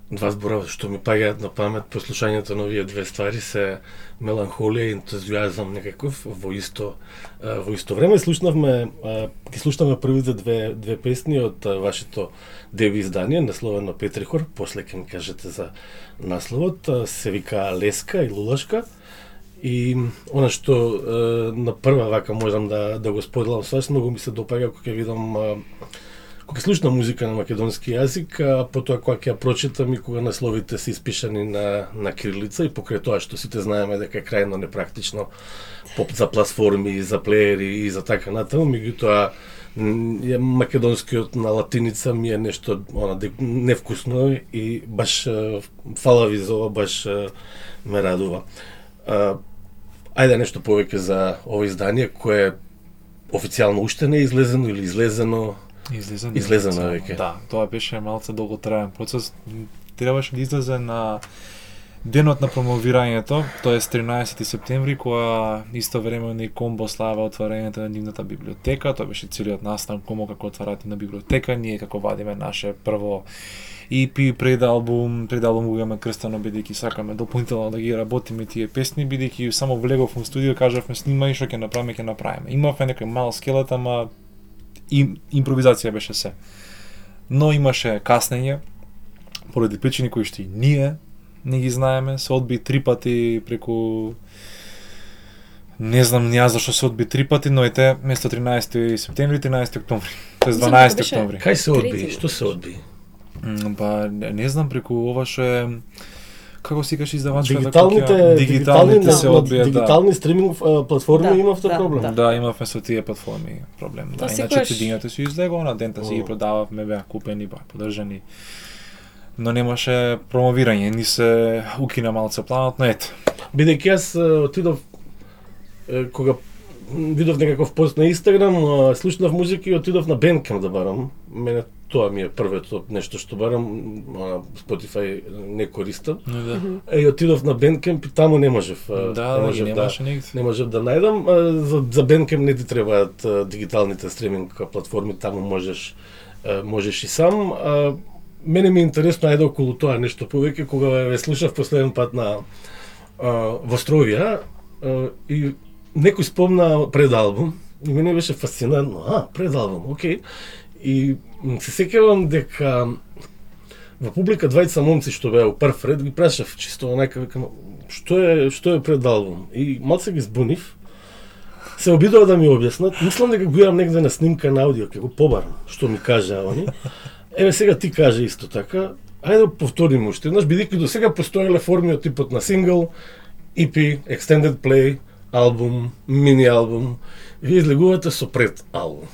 Два збора што ми паѓаат на памет по слушањето на овие две ствари се меланхолија и ентузијазам некаков во исто време. Ги слушнавме првите две песни од вашето деби издание, насловено Петрихор, после ќе ми кажете за насловот, се вика Леска и Лулашка. И она што на прва вака можам да го споделам со вас, многу ми се допаѓа кога ќе видам кога слушнам музика на македонски јазик, а потоа кога ќе ја прочитам и кога насловите се испишани на кирилица и покрај тоа што сите знаеме дека е крајно непрактично за платформи, за плеери и за така натаму, меѓутоа македонскиот на латиница ми е нешто невкусно и баш фала ви за ова, баш ме радува. Ајде нешто повеќе за ова издание кое официјално уште не е излезено или излезено веќе. Да, тоа беше малце долготраен процес. Требаше да излезе на денот на промовирањето, тоест 13 септември, кога истовремено и Комбо слава отварањето на нивната библиотека. Тоа беше целиот настан Комбо како отварате на библиотека, ние како вадиме наше прво EP пред албум го имаме крстено, бидејќи сакаме дополнително да ги работиме тие песни, бидејќи само влегов во студио, кажавме снимај што ќе направиме. Имавме некој мал скелет, ама импровизација беше се. Но имаше каснење поради причини кои што и ние не ги знаеме, се одби 3 пати преку не знам ја зашто се одби 3 пати, но ете место 13 септември, 13 октомври. Тоест 12 октомври. Кај се одби? Што се одби? Па не знам преку ова што е како си кажеш издавачка дигиталните се одбија, дигитални стриминг платформи имавте проблем. Да, имавме со тие платформи проблем. Да, иначе денјата се излегува, на дента си ги продававме, беа купени, подржани. Но немаше промовирање, ни се укина малце планот, но ете. Бидејќи јас отидов кога видов некаков пост на Инстаграм, слушнав музика и отидов на Bandcamp да барам. Мене тоа ми е првото нешто што барам, Spotify не користам. И отидов на Bandcamp и таму не можев. Не можев да најдам. За Bandcamp не ти требаат дигиталните стриминг платформи, таму можеш и сам. Мене ми е интересно ајде околу тоа нешто повеќе, кога ве слушав последен пат во Стровија и некој спомна пред албум и мене беше фасцинантно. Пред албум, окей. И се сеќавам дека во публика двајца момци што беа у прв ред ги прашав чисто онака, викам, што е пред албум? И малце ги збунив. Се обидува да ми објаснат. Мислам дека го имам негде на снимка на аудио, ќе го побарам што ми кажа они. Еве сега ти кажа исто така. Ајде да повториме уште еднаш, бидејќи до сега постоеле форми од типот на сингл, EP, extended play, албум, мини албум. Вие излегувате со пред албум.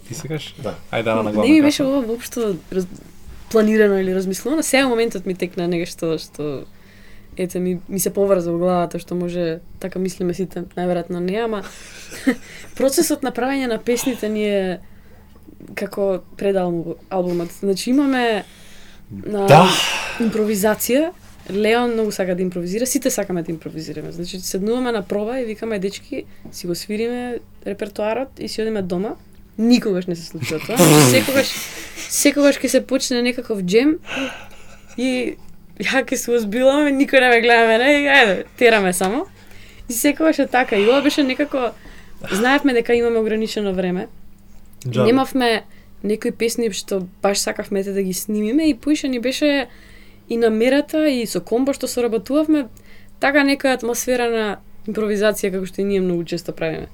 Ти се кажеш? Да. Ајде на главна. Не ми беше ова воопшто планирано или размислено, сега моментот ми текна нешто што ете ми се поврза во главата, што може така мислиме сите, најверојатно не, ама процесот на правење на песните ни е како пред албумот. Значи имаме импровизација. Леон многу сака да импровизира, сите сакаме да импровизираме. Значи седнуваме на проба и викаме дечки, си го свириме репертоарот и си одиме дома. Никогаш не се случува тоа. Секогаш ќе се почне некаков джем и ја ќе се озбиламе, никој не ме гледа мене, ајде, тераме само. И секогаш е така. И ова беше некако, знаевме дека имаме ограничено време. Немавме некои песни што баш сакавме да ги снимиме и поише ни беше и намерата и со Комбо што соработувавме така некоја атмосфера на импровизација како што и ние многу често правиме.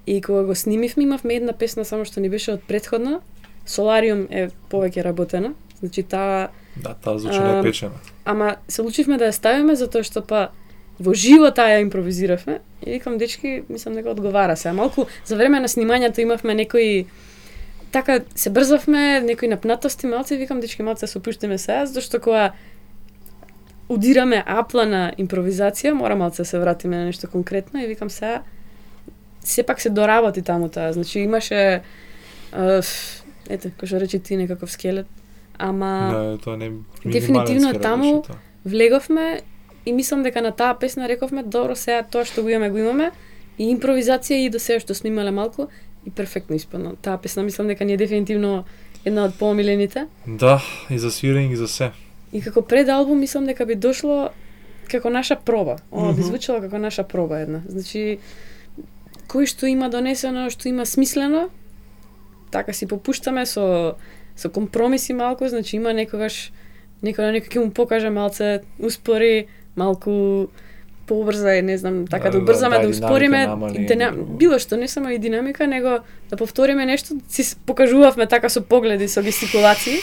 И кога го снимивме имавме една песна само што ни беше од претходна, Солариум е повеќе работена, значи таа звучи напечена. Ама се лучивме да ја ставиме затоа што па во живо таа ја импровизиравме и викам дечки, мислам дека одговара се. Малку за време на снимањето имавме некои така се брзавме, некои напнатости малце, викам дечки малце се опуштиме сега, зашто кога удираме апла на импровизација, мора малце да се вратиме на нешто конкретно и викам сега сепак се доработи таму таа. Значи имаше ете, кој што рече ти некаков скелет, ама тоа не дефинитивно таму влеговме и мислам дека на таа песна рековме добро сега тоа што го имаме и импровизација и до сега што снимале малку и перфектно испадна. Таа песна мислам дека ни е дефинитивно една од поомилените. Да, и за свирење и за се. И како пред албум мислам дека би дошло како наша проба. Ова би звучало како наша проба една. Значи кој што има донесено, што има смислено, така си попуштаме со компромиси малку, значи има некогаш некој ќе му покаже малце успори, малку поубрзај, не знам, така да убрзаме, да успориме, било што, не само и динамика, него да повториме нешто, си покажувавме така со погледи, со гестикулации.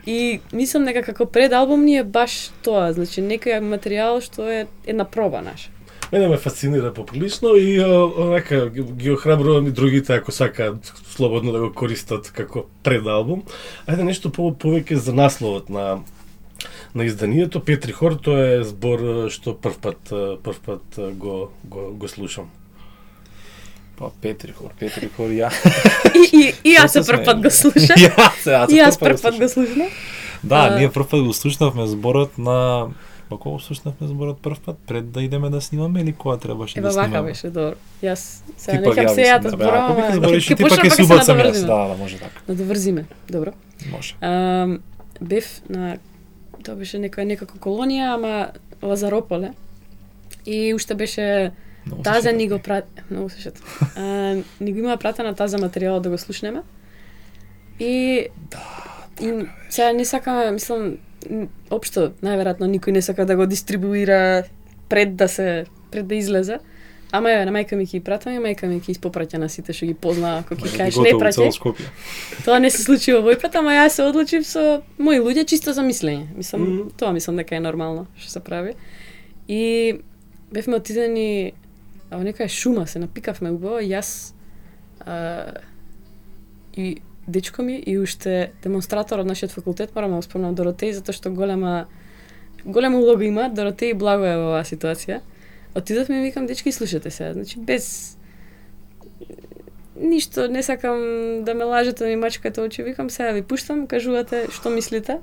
И мислам дека како пред албум ни е баш тоа, значи некој материјал што е една проба наша. Мене ме фасцинира поприлично и онака ги охрабрувам и другите ако сакаат слободно да го користат како пред албум. Ајде нешто повеќе за насловот на изданието. Петри Хор, тоа е збор што прв пат го слушам. Па Петри Хор, ја. И јас се прв пат го слушам. И јас прв пат го слушам. Да, ние прв пат го слушнавме зборот на кога слушнавме зборот прв пат пред да идеме да снимаме или кога требаше да снимаме? Вака беше добро. Јас сега неќам се јата зборам. Ако збориш ти пак ќе се убацам јас. Да, може така. Да доврзиме. Добро. Може. Бев на тоа беше некако колонија, ама Лазарополе. И уште беше Таза ни го многу се шет. Ни го има пратена Таза материјал да го слушнеме. И сега не сакаме, мислам, општо најверојатно никој не сака да го дистрибуира пред да излезе. Ама ја на мајка ми ќе пратам и мајка ми ќе испопраќа на сите што ги познаа, ако ќе кажеш не праќај. Тоа не се случи овој пат, ама јас се одлучив со мои луѓе чисто за мислење. Мислам, тоа мислам дека е нормално што се прави. И бевме отидени во некоја шума, се напикавме убаво, јас и дечко ми и уште демонстратор од нашиот факултет, морам да го спомнам Доротеј, затоа што голема улога има, Доротеј благо е во оваа ситуација. Отидовме и викам, дечки, слушате се, значи без ништо, не сакам да ме лажете, да ми мачкате очи, викам, сега ви пуштам, кажувате што мислите.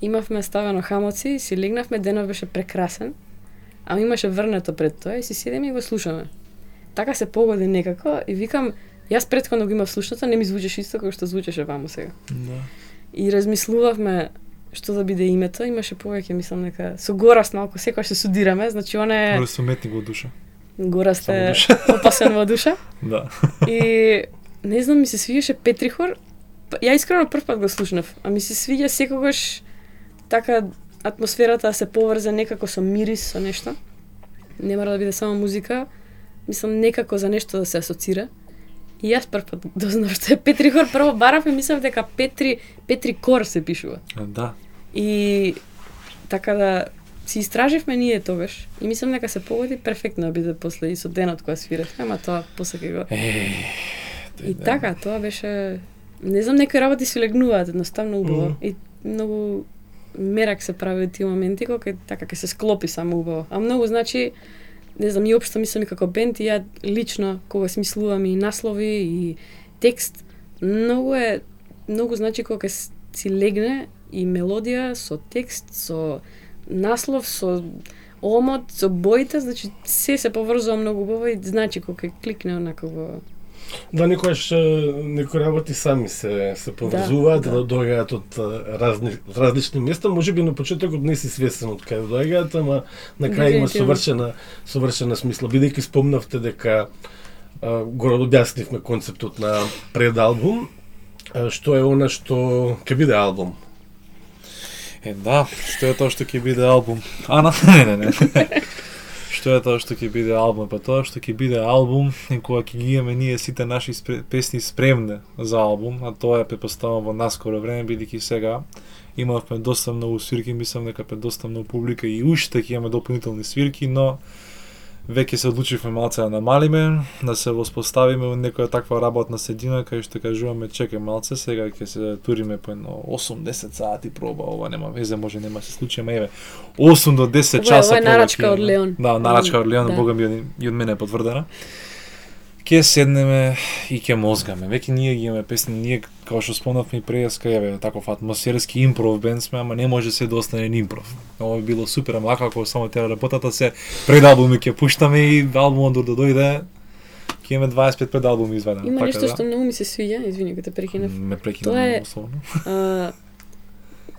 Имавме ставено хамоци, си легнавме, денов беше прекрасен, ама имаше врнето пред тоа и си седеме и го слушаме. Така се погоди некако и викам, јас претходно го имав слушната, не ми звучеше исто како што звучеше ваму сега. Да. И размислувавме што да биде името, имаше повеќе, мислам дека со Гораст малку секој што судираме, значи он е Гораст уметник во душа. Гораст е опасен во душа. Да. И не знам, ми се свиѓаше Петри Хор. Ја искрено прв пат го слушнав, а ми се свиѓа секогаш така атмосферата се поврзе некако со мирис, со нешто. Не мора да биде само музика, мислам некако за нешто да се асоцира. И јас прв пат дознав што е Петри Хор, прво барав и мислев дека Петри Кор се пишува. Да. И така да си истраживме ние тогаш и мислам дека се погоди перфектно да биде после и со денот кога свиревме, ама тоа после ќе го. И така, тоа беше, не знам, некои работи си легнуваат едноставно убаво и многу мерак се прави од тие моменти кога така ќе се склопи само убаво. А многу значи, не знам, и општо мислам и како бенд и ја лично кога смислувам и наслови и текст, многу значи кога си легне и мелодија со текст, со наслов, со омот, со боите, значи се поврзува многу убаво и значи кога кликне онака во. Да, некои работи сами се поврзуваат, да доаѓаат од различни места, можеби на почетокот не си свесен од каде доаѓаат, ама на крај има совршена смисла. Бидејќи спомнавте дека го објаснивме концептот на предалбум, што е она што ќе биде албум? Да, што е тоа што ќе биде албум? Не. Што е тоа што ќе биде албум? Па тоа што ќе биде албум е кога ќе ги имаме ние сите наши песни спремни за албум, а тоа е претпоставувам во наскоро време, бидејќи сега имавме доста многу свирки, мислам дека пред доста многу публика и уште ќе имаме дополнителни свирки, но веќе се одлучивме малце да намалиме, да се воспоставиме во некоја таква работна средина кај што кажуваме чекај малце, сега ќе се туриме по едно 8-10 сати проба, ова нема везе, може нема се случи, ама еве 8 до 10 часа проба. Ова е нарачка од Леон. Да, нарачка од Леон, бога ми и од мене е потврдена. Ќе седнеме и ќе мозгаме. Веќе ние ги имаме песни, ние како што спомнавме и преска, еве таков атмосферски импров бенд сме, ама не може се да остане импров. Ова би било супер, ама како само тера работата се пред албуми ќе пуштаме и албумот да дојде, ќе имаме 25 пред албуми извадено. Има нешто што многу ми се свиѓа, извини, те прекинав. Ме прекинав условно.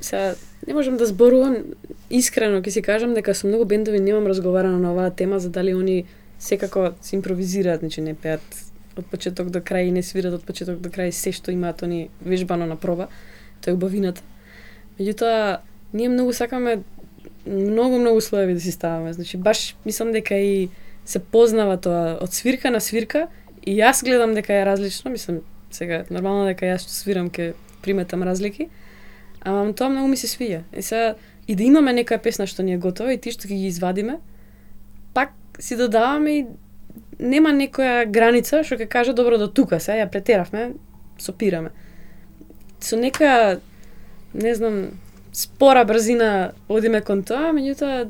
сега не можам да зборувам искрено, ќе си кажам дека со многу бендови немам разговарано на оваа тема за дали они секако се импровизираат, значи не пеат од почеток до крај и не свират од почеток до крај се што имаат они вежбано на проба. Тоа е убавината. Меѓутоа, ние многу сакаме многу слоеви да си ставаме. Значи баш мислам дека и се познава тоа од свирка на свирка и јас гледам дека е различно, мислам сега нормално дека јас што свирам ќе приметам разлики. Ама тоа многу ми се свиѓа. И сега и да имаме некоја песна што ни е готова и ти што ги извадиме, пак си додаваме и нема некоја граница што ќе каже добро до тука, сега ја претеравме, сопираме. Со некоја не знам спора брзина одиме кон тоа, меѓутоа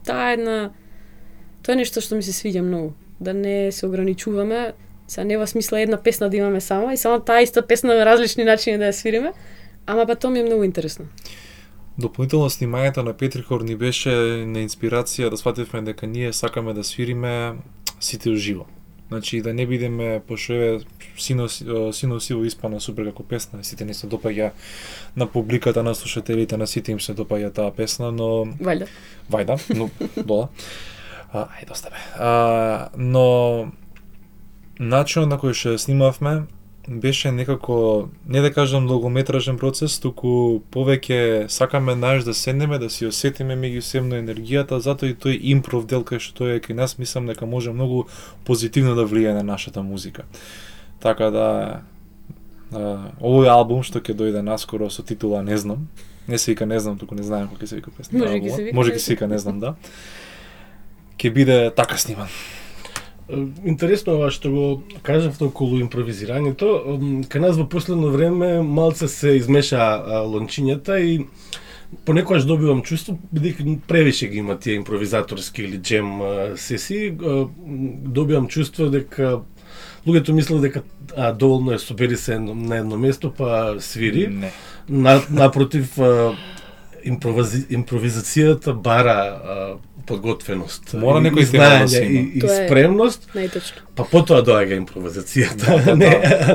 тоа е нешто што ми се свиѓа многу, да не се ограничуваме. Сега нема смисла една песна да имаме само и само таа иста песна на различни начини да ја свириме, ама па тоа ми е многу интересно. Дополнително снимањето на Петрихор ни беше на инспирација да свативме дека ние сакаме да свириме сите уживо. Значи да не бидеме пошто еве сино сиво испана супер како песна, сите не се допаѓа на публиката, на слушателите, на сите им се допаѓа таа песна, но Вајда, но дола. Ајде оставе. Но начинот на кој што снимавме беше некако, не да кажам долгометражен процес, туку повеќе сакаме наш да седнеме, да си осетиме меѓусебно енергијата, затоа и тој импров дел кај што тој е кај нас, мислам дека може многу позитивно да влијае на нашата музика. Така да овој албум што ќе дојде наскоро со титула Не знам, не се вика Не знам, туку не знаем како ќе се вика песна. Може ќе се вика Не знам, да. Ќе биде така сниман. Интересно ова што го кажавте околу импровизирањето. Кај нас во последно време малце се измеша лончињата и понекогаш добивам чувство, бидејќи превише ги има тие импровизаторски или джем сесии, добивам чувство дека луѓето мислат дека доволно е собери се на едно место па свири. Не. Напротив, импровизацијата бара подготвеност, мора некој знаење и спремност, најточно. Па потоа доаѓа импровизацијата,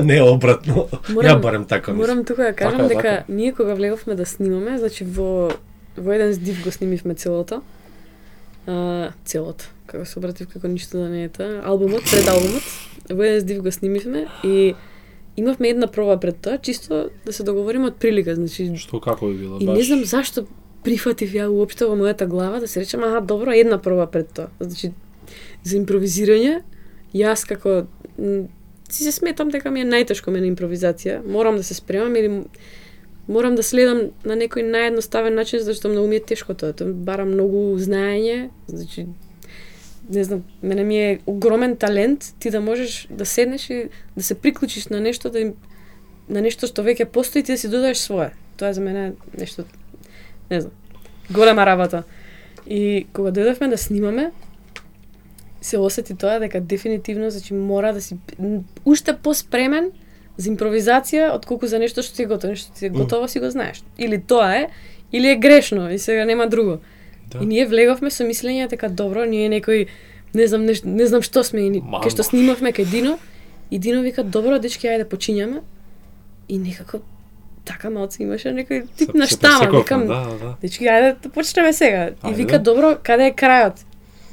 не обратно. Ја барем така мислам. Морам тука да кажам дека ние кога влеговме да снимаме, значи во еден здив го снимивме целото, како се обратив како ништо да не е тоа, албумот, пред албумот, во еден здив го снимивме и имавме една проба пред тоа, чисто да се договориме од прилика, значи што како би било и баш. не знам зашто прифатив ја уопште во мојата глава да се речем, добро, една проба пред тоа. Значи, за импровизирање, јас како си се сметам дека ми е најтешко мене импровизација. Морам да се спремам или морам да следам на некој наједноставен начин, зашто многу ми е тешко тоа. Тоа бара многу знаење, значи не знам, мене ми е огромен талент ти да можеш да седнеш и да се приклучиш на нешто на нешто што веќе постои, ти да си додадеш свое. Тоа е за мене нешто не знам, голема работа. И кога дојдовме да снимаме, се осети тоа дека дефинитивно, значи мора да си уште поспремен за импровизација отколку за нешто што ти е готово, нешто ти е готово си го знаеш. Или тоа е, или е грешно и сега нема друго. Да. И ние влеговме со мислење дека добро, ние некој не знам што сме и кај што снимавме кај Дино и Дино вика добро дечки ајде почињаме и некако така малце имаше некој тип на штама, викам, дечки, ајде да почнеме сега. И вика, добро, каде е крајот?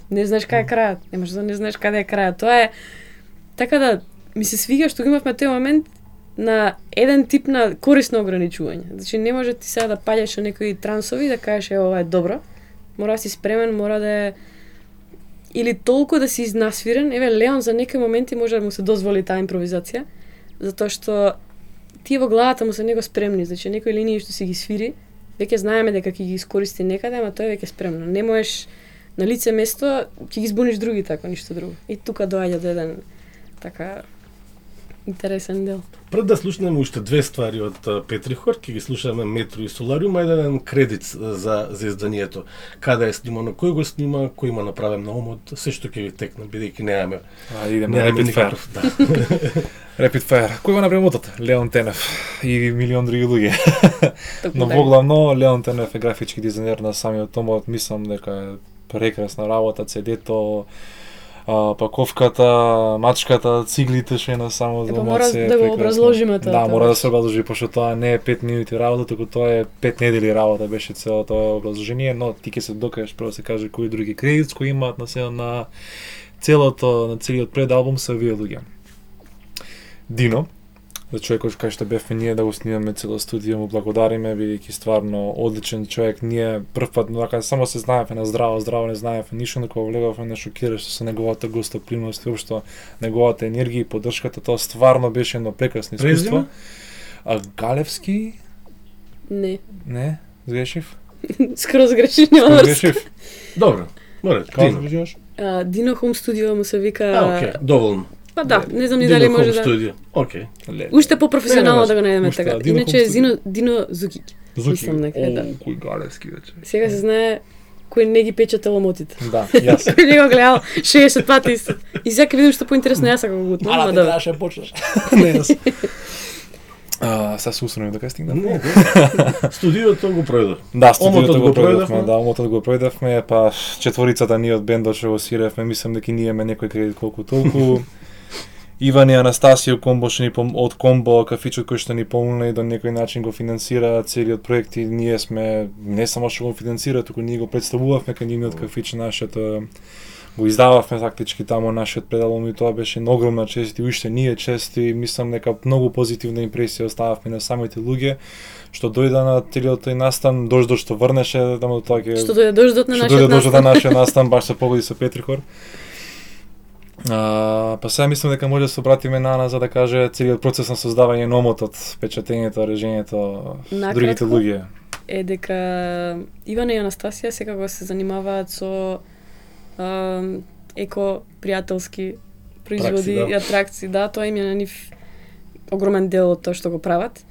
Не знаеш каде е крајот. Не можеш да не знаеш каде е крајот. Тоа е, така да, ми се свига што имавме тој момент на еден тип на корисно ограничување. Значи, не може ти сега да паѓаш на некои трансови да кажеш, ова е добро. Мора да си спремен, мора да е или толку да си изнасвирен. Еве, Леон за некои моменти може да му се дозволи таа импровизација, затоа што тие во главата му се него спремни, значи некои линии што си ги свири, веќе знаеме дека ќе ги искористи некаде, ама тоа е веќе спремно. Не можеш на лице место ќе ги збуниш другите, ако ништо друго. И тука доаѓа до еден така интересен дел. Пред да слушнеме уште две ствари од Петрихор, ќе ги слушаме Метро и Солариум, еден кредит за изданието. Каде е снимано, кој го снима, кој има направен на умот, се што ќе ви текне, бидејќи немаме. Идеме Rapid Fire. Да. Rapid Fire. Кој го направи мотот? Леон Тенев и милион други луѓе. Но воглавно Леон Тенев е графички дизајнер на самиот томот, мислам дека е прекрасна работа, CD-то, паковката, мачката, циглите што е на само за мора да го образложиме тоа. Да, мора да се образложи, пошто тоа не е 5 минути работа, туку тоа е 5 недели работа, беше цело тоа образложение, но ти ќе се докажеш прво се каже кои други кредити кои имаат на целиот предалбум се овие луѓе. Дино, за човекот кај што бевме ние да го снимаме цело студио, му благодариме, бидејќи стварно одличен човек. Ние прв пат само се знаевме на здраво не знаевме ништо, но кога влегавме на шокираше со неговата гостопримност и општо неговата енергија и поддршката, тоа стварно беше едно прекрасно искуство. Галевски? Не, сгрешив? Скроз грешив, нема врска. Добро, море, Дино. Кажеш? Дино Home Studio му се вика... Окей, доволно. Па да, не знам ни дали може да... Studio. Окей. Уште по-професионално да го најдеме така. Дино Иначе Дино Зукич. Мислам некаде, да. Кој Галевски вече. Сега се знае кој не ги пече теломотите. Да, јас. Кој не го гледал 60 пати и сега видим што поинтересно јас ако го утнам, ама да. требаше почнеш. Не, јас. Сега се усвоим дека стигнавме. Студиото го пројдов. Да, студиото го пројдовме. Да, омотот го пројдовме, па четворицата ние од бендот што го свиревме, мислам дека ние имаме некој кредит колку толку. Иван и Анастасија комбо што ни од комбо кафичот кој што ни помогна и до некој начин го финансира целиот проект и ние сме не само што го финансира, туку ние го представувавме кај нивниот кафич нашето го издававме фактички таму нашиот предалбум и тоа беше огромна чест и уште ние чести, мислам дека многу позитивна импресија остававме на самите луѓе што дојда на целиот тој настан, дождот што врнеше, таму тоа ќе Што дојде дождот на нашиот настан, баш се погоди со Петрихор. Па сега мислам дека може да се обратиме на Ана за да каже целиот процес на создавање на омотот, печатењето, режењето, другите луѓе. Е дека Ивана и Анастасија секако се занимаваат со еко пријателски производи и атракции, да, тоа им е на нив огромен дел од тоа што го прават.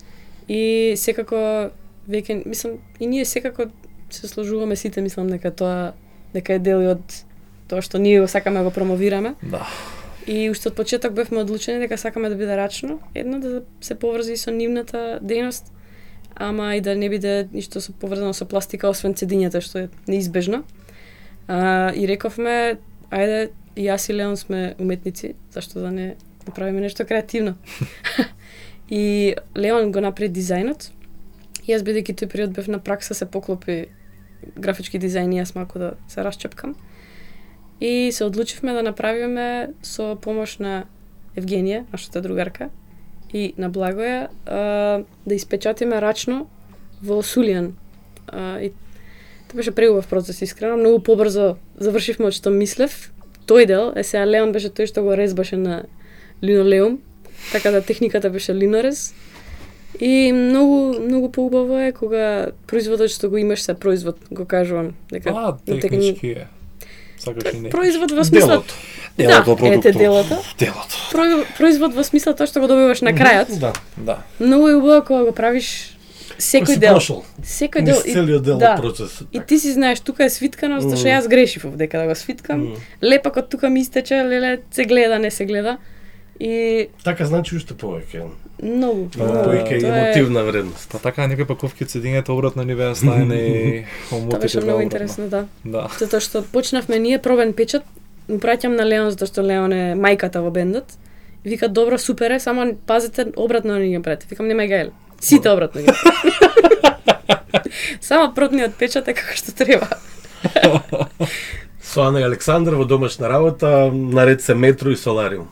И секако веќе мислам и ние секако се сложуваме сите, мислам дека тоа дека е дел од тоа што ние сакаме да го промовираме. Да. И уште од почеток бевме одлучени дека сакаме да биде рачно, едно да се поврзи со нивната дејност, ама и да не биде ништо поврзано со пластика освен цедињата што е неизбежно. И рековме, ајде, и јас и Леон сме уметници, зашто да не направиме нешто креативно. И Леон го направи дизајнот. И јас бидејќи тој период бев на пракса се поклопи графички дизајн и јас малку да се расчепкам. И се одлучивме да направиме со помош на Евгенија, нашата другарка, и на Благоја, да испечатиме рачно во Сулијан. И тоа беше преубав процес, искрено, многу побрзо завршивме од што мислев. Тој дел, сега Леон беше тој што го резбаше на линолеум, така да техниката беше линорез. И многу поубаво е кога производот што го имаш се производ, го кажувам, дека технички е. Сакаш и не. Производ во смисла делото, делото. Производ во смисла тоа што го добиваш на крајот. Да. Многу е убаво кога го правиш секој дел. Секој дел и целиот дел од процесот. И ти си знаеш тука е свиткано, зашто јас грешив овдека да го свиткам. Лепак од тука ми истече, леле се гледа, не се гледа. И така значи уште повеќе. Многу. Повеќе емотивна вредност. Па така некои паковки од цедињето обратно ни беа ставени и омотите. Тоа беше многу интересно, да. Да. Затоа што почнавме ние пробен печат, му праќам на Леон затоа што Леон е мајката во бендот. Вика добро, супер е, само пазите обратно не ги прати. Викам нема гајле. Сите обратно ги. Само протниот печат е како што треба. Со Ана и Александар во домашна работа, наред се метро и солариум.